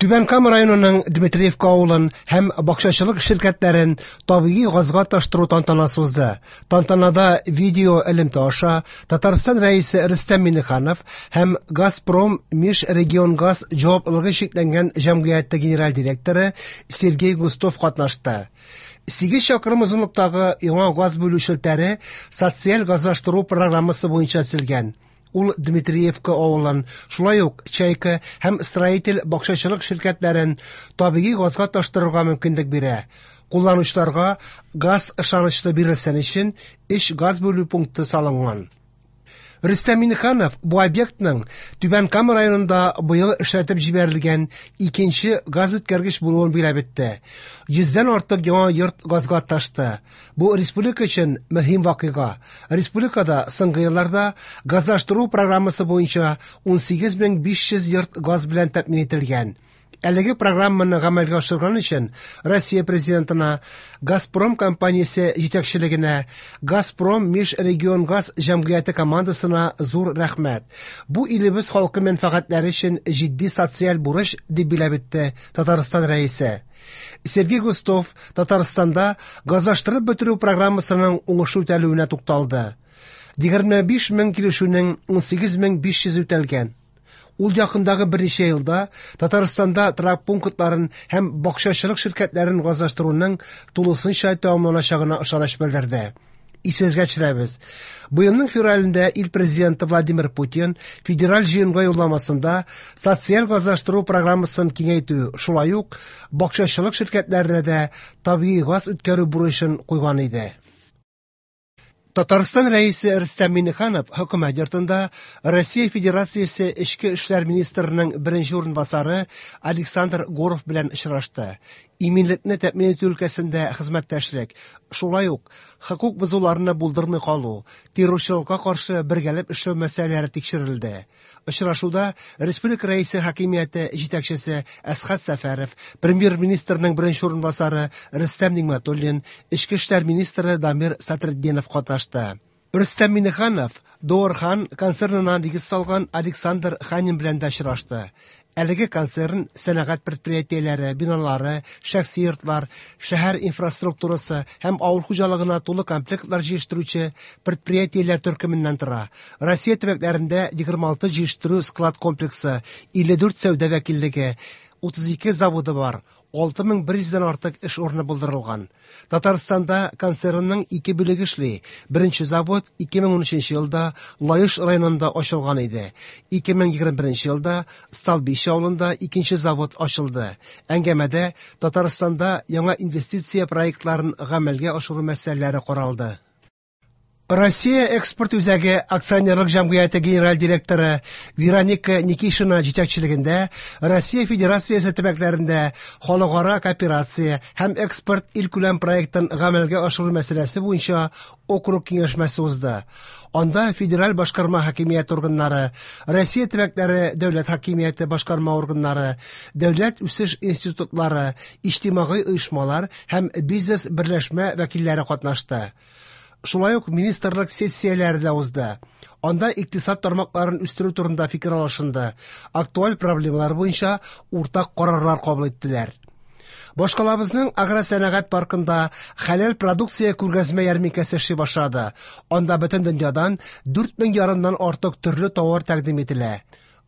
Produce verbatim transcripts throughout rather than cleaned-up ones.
Түбән Кама районының Дмитриевка авылын һәм бакчачылык ширкәтләрен табигый газга таштыру тантанасы узды. Тантанада видео элемтә аша Татарстан Рәисе Рөстәм Миңнеханов һәм Газпром Межрегионгаз җаваплылыгы чикләнгән җәмгыяте генераль директоры Сергей Густов катнашты. Сигез чакрым озынлыктагы яңа газ бүлү челтәре социаль газлаштыру программасы буенча төзелгән. Ул Дмитриевка авылын, шулай ук Чайка һәм Строитель бакчачылык ширкәтләрен табигый газга таштырырга мөмкинлек бирә. Кулланучыларга газ ышанычлы бирелсен өчен өч газ бүлү пункты салынган. Рөстәм Миңнеханов бу объектның Түбән Кама районында быел эшләтеп җибәрелгән икенче газ үткәргеч булуын билгеләп үтте. Йөздән артык яңа йорт газга ташты. Бу республика өчен мөһим вакыйга. Республикада соңгы елларда газлаштыру программасы буенча ун сигез мең биш йөз йорт газ белән тәэмин ителгән. Әлеге программаны гамәлгә ашырган өчен Россия президентына, Газпром компаниясе җитәкчелегенә, Газпром Межрегионгаз җәмгыяте командасына зур рәхмәт. Бу илебез халкы мәнфәгатьләре өчен җитди социаль бурыч, дип билгеләп үтте Татарстан Рәисе. Сергей Густов Татарстанда газлаштырып бетерү программасының уңышлы үтәлүенә тукталды. Егерме биш мең килешүнең ун сигез мең биш йөз үтәлгән. Ул якындагы берничә елда Татарстанда торак пунктларын һәм бакчачылык ширкәтләрен газлаштыруның тулысынча тәмамланачагына ышаныч белдерде. Исегезгә төшерәбез. Быелның февралендә ил президенты Владимир Путин федераль җыенга юлламасында социаль газлаштыру программасын киңәйтү, шулай ук бакчачылык ширкәтләренә дә табигый газ үткәрү бурычын куйган иде. Татарстан Рәисе Рөстәм Миңнеханов хөкүмәт йортында Россия Федерациясе Эчке эшләр министрының беренче урынбасары Александр Горов белән очрашты. Иминлекне тәэмин итү өлкәсендә хезмәттәшлек, шулай ук хокук бозуларны булдырмый калу, террорчылыкка каршы бергәләп эшләү мәсьәләләре тикшерелде. Очрашуда Республика Рәисе хакимияте җитәкчесе Әсхәт Сәфәров, премьер-министрның беренче урынбасары Рөстәм Нигъмәтуллин, Эчке эшләр министры Дамир Садретдинов катнашты. Рөстәм Миңнеханов Доорхан концернына нигез салган Александр Ханин белән дә очрашты. Әлеге концерн сәнәгать предприятиеләре, биналары, шәхси йортлар, шәһәр инфраструктурасы һәм авыл хуҗалыгына тулы комплектлар җыештыручы предприятиеләр төркеменнән тора. Россия төбәкләрендә егерме алты җыештыру склад комплексы, илле дүрт сәүдә вәкиллеге, утыз ике заводы бар. Алты мең бер йөздән артык эш урыны булдырылган. Татарстанда концернның ике бүлеге эшли. Беренче завод ике мең унөченче елда Лаеш районында ачылган иде. Ике мең егерме беренче елда Столбище авылында икенче завод ачылды. Әңгәмәдә Татарстанда яңа инвестиция проектларын гамәлгә ашыру мәсьәләләре каралды. Россия экспорт үзәге акционерлык җәмгыяте генераль директоры Вероника Никишина җитәкчелегендә Россия Федерациясе төбәкләрендә халыкара кооперация һәм экспорт илкүләм проектын гамәлгә ашыру мәсьәләсе буенча округ киңәшмәсе узды. Анда федераль башкарма хакимияте органнары, Россия төбәкләре дәүләт хакимияте башкарма органнары, дәүләт үсеш институтлары, иҗтимагый оешмалар һәм бизнес берләшмә вәкилләре катнашты. Шулай ук министрлык сессияләре дә узды. Анда икътисад тармакларын үстерү турында фикер алышынды. Актуаль проблемалар буенча уртак карарлар кабул иттеләр. Башкалабызның агросәнәгать паркында хәләл продукция күргәзмә ярминкәсе эшли башлады. Анда бөтен дөньядан дүрт мең ярымнан артык төрле товар тәкъдим ителә.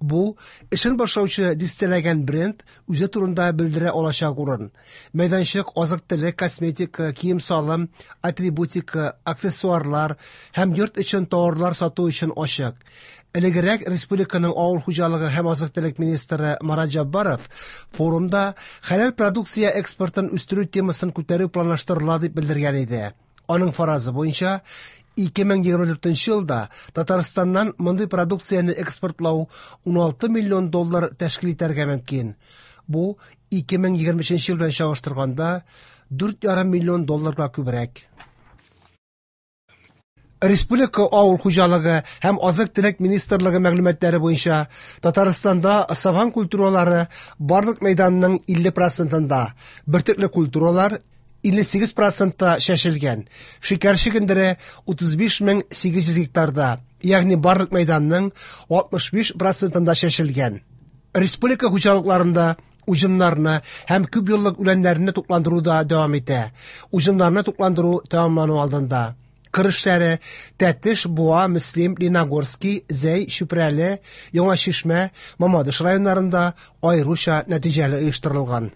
Бу эшен башлаучы дистәләгән бренд үзе турында белдерә алачак урын. Мәйданчык азык-төлек, косметика, кием-салым, атрибутика, аксессуарлар һәм йорт өчен товарлар сату өчен ачык. Элегрәк республиканың авыл хуҗалыгы һәм азык-төлек министры Марат Җаббаров форумда хәләл продукция экспортын үстерү темасын күтәрү планлаштырыла дип белдергән иде. Аның фаразы буенча ике мең егерме дүртенче елда Татарстаннан мондый продукцияне экспортлау ун алты миллион доллар тәшкил итәргә мөмкин. Бу ике мең егерме өченче ел белән чагыштырганда дүрт ярым миллион долларга күбрәк. Республика авыл хуҗалыгы һәм азык-төлек министрлыгы мәгълүматлары буенча Татарстанда сабан культуралары барлык мәйданның илле процентында, бөртекле культуралар илле сигез процентта чәчелгән. Шикәр чөгендере утыз биш мең сигез йөз гектарда, ягъни барлык мәйданның алтмыш биш процентында чәчелгән. Республика хуҗалыкларында Уҗымнарны һәм күпьеллык үләннәрне тукландыру да дәвам итә. Уҗымнарны тукландыру тәмамлану алдында. Кыр эшләре Тәтеш, Буа, Мөслим, Лениногорски, Зәй, Чүпрәле, Яңа Чишмә, Мамадыш районнарында аеруча нәтиҗәле оештырылган.